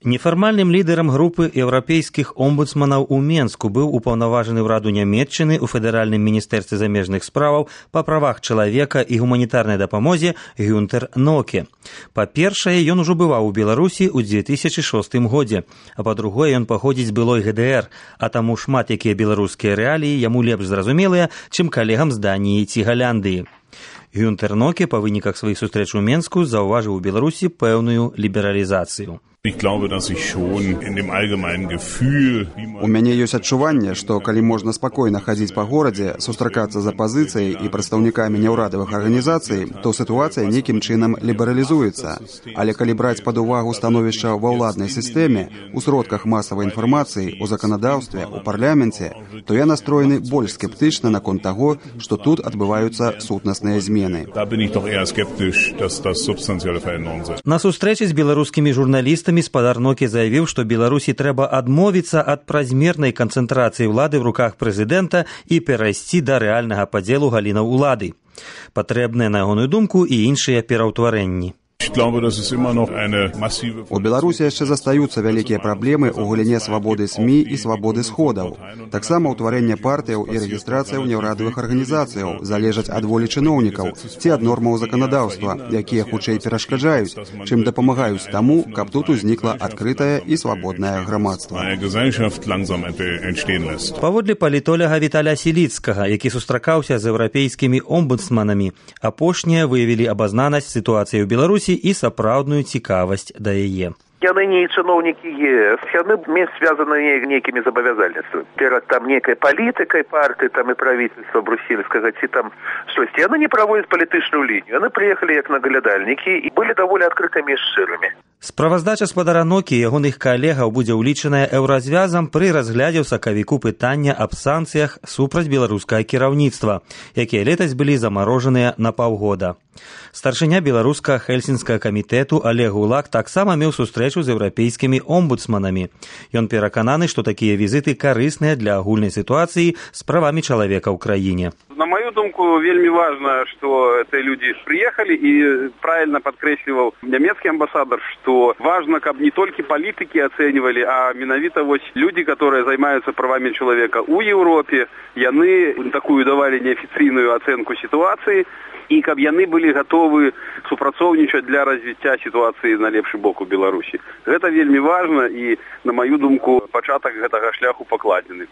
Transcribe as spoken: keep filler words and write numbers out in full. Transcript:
Нефармальным лідарам групы еўрапейскіх омбудсманаў у Менску быў упаўнаважаны ўраду Нямецчыны ў федэральным міністэрстве замежных справаў па правах чалавека і гуманітарнай дапамозе Гюнтер Ноке. Па-першае, ён ужо бываў у Беларусі ў дзве тысячы шостым годзе, а па-другое, ён паходзіць з былой гэ дэ эр, а таму шмат якія беларускія рэаліі яму лепш зразумелыя, чым калегам з Даніі ці Галяндыі. Гюнтер Ноке па выніках сваіх сустрэч у Менску заўважыў у Беларусі пэўную лібералізацыю. У мяне ёсць адчуванне, што калі можна спакойна хадзіць па горадзе, сустракацца з апазіцыяй і прадстаўнікамі няўрадавых арганізацый, то сітуацыя нейкім чынам лібералізуецца. Але калі браць пад увагу становішча ва ўладнай сістэме, у сродках масавай інфармацыі, у заканадаўстве, у парламенце, то я настроены больш скептычна наконт таго, што тут адбываюцца сутнасныя змены. На сустрэчы з беларускімі журналістамі спадар Ноке заявіў, што Беларусі трэба адмовіцца ад празмернай канцэнтрацыі ўлады ў руках прэзідэнта і перайсці да рэальнага падзелу галінаў улады. Патрэбныя, на ягоную думку, і іншыя пераўтварэнні. У Беларусі яшчэ застаюцца вялікія праблемы ў галіне свабоды СМІ і свабоды сходаў. Таксама ўтварэнне партыяў і рэгістрацыяў няўрадавых арганізацыяў залежаць ад волі чыноўнікаў ці ад нормаў заканадаўства, якія хутчэй перашкаджаюць, чым дапамагаюць таму, каб тут узнікла адкрытае і свабоднае грамадства. Паводле палітоляга Віталя Сіліцкага, які сустракаўся з еўрапейскімі омбудсманамі, апошнія выявілі абазнанасць сітуацыі ў Беларусі і сапраўдную цікавасць да яе. Яны не чыноўнікі е эс, яны менш звязаны нейкімі забавязальніцтвамі. Перад там нейкай палітыкай партыі, там і правительства брусельскага, ці там штосьці. Яны не праводзяць палітычную лінію. Яны прыехалі як наглядальнікі і былі даволі адкрытымі і шчырымі. Справаздача спадара Нокі і ягоных калегаў будзе ўлічаная еўразвязам пры разглядзе ў сакавіку пытання аб санкцыях супраць беларускага кіраўніцтва, якія летась былі замарожаныя на паўгода. Старшыня беларускага хельсінскага камітэту Олег Гулак таксама меў сустрэчу з еўрапейскімі омбудсманамі. Ён перакананы, што такія візіты карысныя для агульнай сітуацыі з правамі чалавека ў краіне. На мою думку, вельмі важно, что эти люди приехали, и правильно подкресливал немецкий амбассадор, что важно, как не только политики оценивали, а менавіта вот люди, которые занимаются правами человека у Европе, яны такую давали неофициальную оценку ситуации, и каб яны были готовы супрацоўнічаць для развіцця ситуации на лепшы бок у Беларусі. Гэта вельмі важно, и, на мою думку, пачатак гэтага шляху пакладзены.